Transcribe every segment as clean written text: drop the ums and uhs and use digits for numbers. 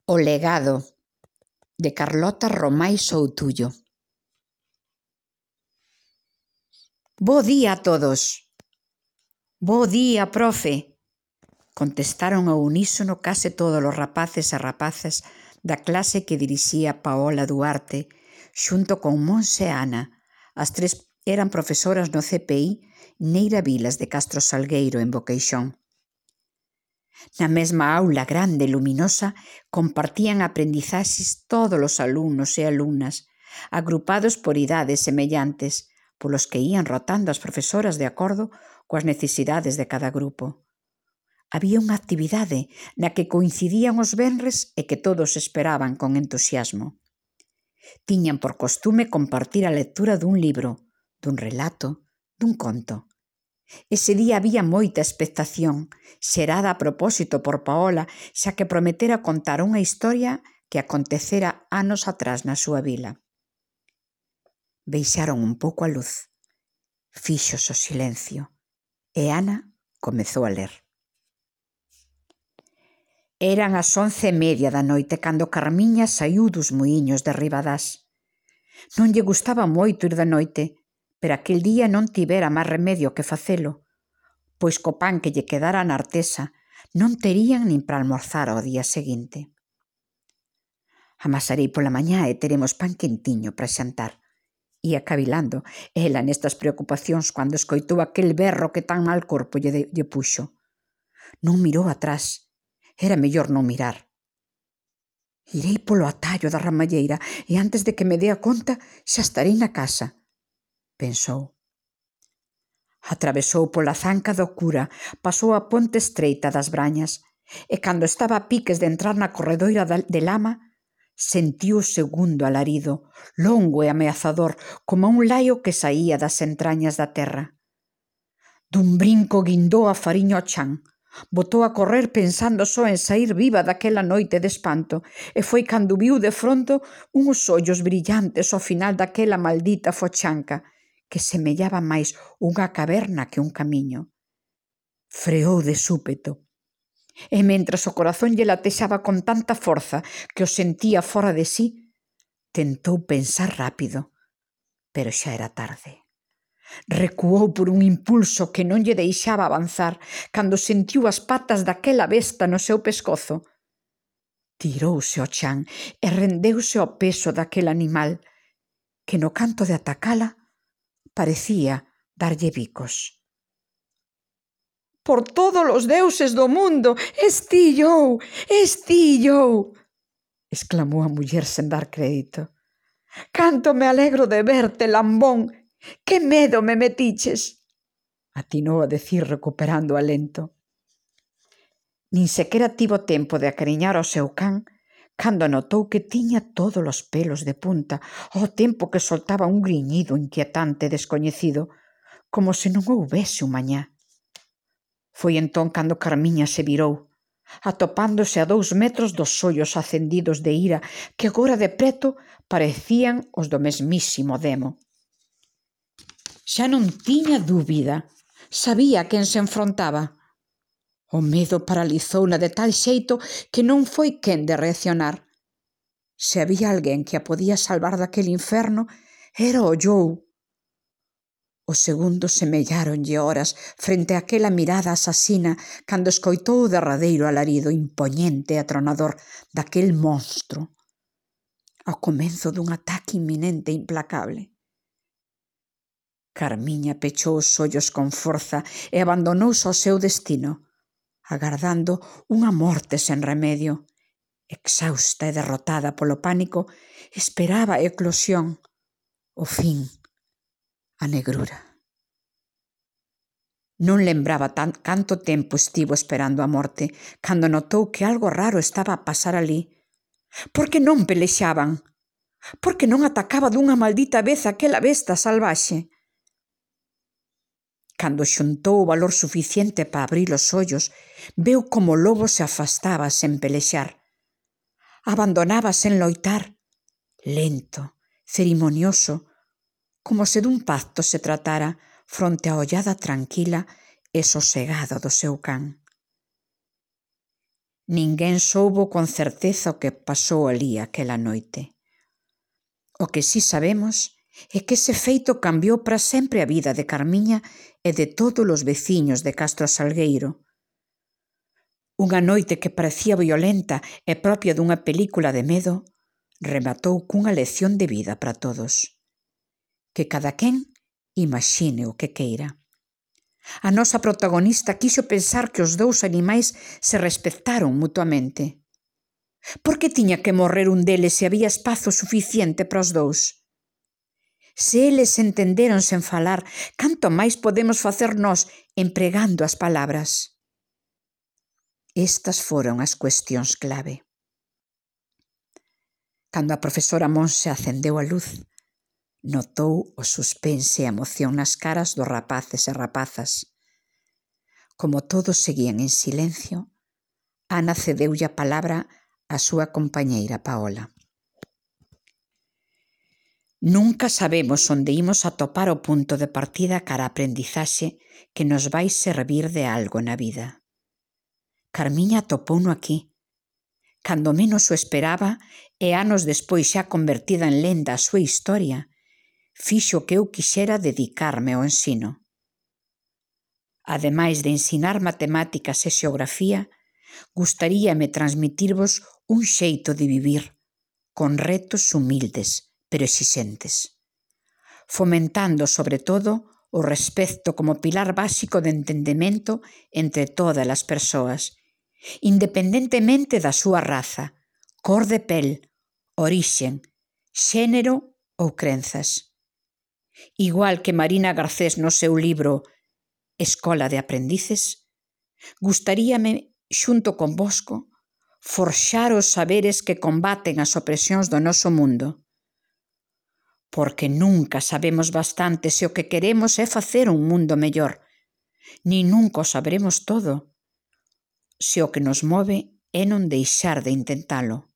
O legado, de Carlota Romai Soutullo. Bo día a todos. Bo día, profe, contestaron ao unísono case todos os rapaces e rapazas da clase que dirixía Paola Duarte, xunto con Monse e Ana. As tres eran profesoras no CPI Neira Vilas de Castro Salgueiro, en Boqueixón. Na mesma aula grande e luminosa compartían aprendizaxes todos os alumnos e alumnas, agrupados por idades semellantes, polos que ían rotando as profesoras de acordo coas necesidades de cada grupo. Había unha actividade na que coincidían os venres e que todos esperaban con entusiasmo. Tiñan por costume compartir a lectura dun libro, dun relato, dun conto. Ese día había moita expectación, xerada a propósito por Paola, xa que prometera contar unha historia que acontecera anos atrás na súa vila. Baixaron un pouco a luz, fíxose o silencio, e Ana comezou a ler. Eran as 11:30 da noite cando Carmiña saiu dos muíños de Ribadás. Non lle gustaba moito ir de noite, pero aquel día non tivera máis remedio que facelo, pois co pan que lle quedara na artesa non terían nin para almorzar ao día seguinte. Amasarei pola mañá e teremos pan quentiño para xantar. Ia cavilando ela nestas preocupacións cando escoitou aquel berro que tan mal corpo lle puxo. Non mirou atrás. Era mellor non mirar. Irei polo atallo da ramalleira e antes de que me dea conta xa estarei na casa, pensou. Atravesou pola zanca do cura, pasou a ponte estreita das Brañas e cando estaba a piques de entrar na corredoira de lama, sentiu o segundo alarido, longo e ameazador, como un laio que saía das entrañas da terra. Dun brinco guindou a fariña ao chan. Botou a correr pensando só en sair viva daquela noite de espanto e foi cando viu de fronto uns ollos brillantes ao final daquela maldita fochanca que semellaba máis unha caverna que un camiño. Freou de súpeto e mentras o corazón lle latexaba con tanta forza que o sentía fora de sí, tentou pensar rápido, pero xa era tarde. Recuou por un impulso que non lle deixaba avanzar cando sentiu as patas daquela besta no seu pescozo. Tirouse ao chan e rendeuse ao peso daquel animal que no canto de atacala parecía darlle bicos. «Por todos os deuses do mundo, estillou, estillou!» exclamou a muller sen dar crédito. «Canto me alegro de verte, lambón! Que medo me metiches!» atinou a decir recuperando o alento. Nin sequera tivo tempo de acariñar ao seu can cando notou que tiña todos os pelos de punta ao tempo que soltaba un griñido inquietante e descoñecido, como se non houbese un mañá. Foi entón cando Carmiña se virou, atopándose a 2 metros dos ollos acendidos de ira que agora de preto parecían os do mesmísimo demo. Xa non tiña dúbida, sabía a quen se enfrontaba. O medo paralizouna de tal xeito que non foi quen de reaccionar. Se había alguén que a podía salvar daquele inferno, era o Jou. Os segundos semelláronlle horas frente a aquela mirada asasina cando escoitou o derradeiro alarido impoñente e atronador daquel monstro, ao comezo dun ataque inminente e implacable. Carmiña pechou os ollos con forza e abandonouse ao seu destino, agardando unha morte sen remedio. Exhausta e derrotada polo pánico, esperaba a eclosión, o fin, a negrura. Non lembraba canto tempo estivo esperando a morte, cando notou que algo raro estaba a pasar ali. Por que non pelexaban? Por que non atacaba dunha maldita vez aquela besta salvaxe? Cando xuntou o valor suficiente para abrir os ollos, veu como o lobo se afastaba sen pelexar. Abandonaba sen loitar, lento, cerimonioso, como se dun pacto se tratara fronte á ollada tranquila e sosegada do seu can. Ninguén soubo con certeza o que pasou alí aquela noite. O que si sabemos é que ese feito cambiou para sempre a vida de Carmiña e de todos os veciños de Castro Salgueiro. Unha noite que parecía violenta e propia dunha película de medo, rematou cunha lección de vida para todos. Que cada quen imagine o que queira. A nosa protagonista quixo pensar que os dous animais se respectaron mutuamente. Por que tiña que morrer un deles se había espazo suficiente para os dous? Se eles entenderon sen falar, canto máis podemos facer nós empregando as palabras? Estas foron as cuestións clave. Cando a profesora Monse acendeu a luz, notou o suspense e a emoción nas caras dos rapaces e rapazas. Como todos seguían en silencio, Ana cedeulle a palabra á súa compañeira Paola. Nunca sabemos onde imos atopar o punto de partida cara a aprendizaxe que nos vai servir de algo na vida. Carmiña atopouno aquí, cando menos o esperaba e anos despois xa convertida en lenda a súa historia, fixo que eu quixera dedicarme ao ensino. Ademais de ensinar matemáticas e xeografía, gustaríame transmitirvos un xeito de vivir, con retos humildes, pero exixentes, fomentando, sobre todo, o respecto como pilar básico de entendemento entre todas as persoas, independentemente da súa raza, cor de pel, orixen, xénero ou crenzas. Igual que Marina Garcés no seu libro Escola de Aprendices, gustaríame, xunto convosco, forxar os saberes que combaten as opresións do noso mundo. Porque nunca sabemos bastante se o que queremos é facer un mundo mellor, ni nunca o sabremos todo, se o que nos move é non deixar de intentalo.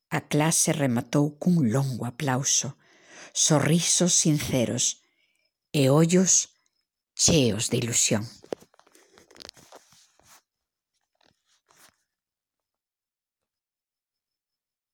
A clase rematou cun longo aplauso, sorrisos sinceros e ollos cheos de ilusión.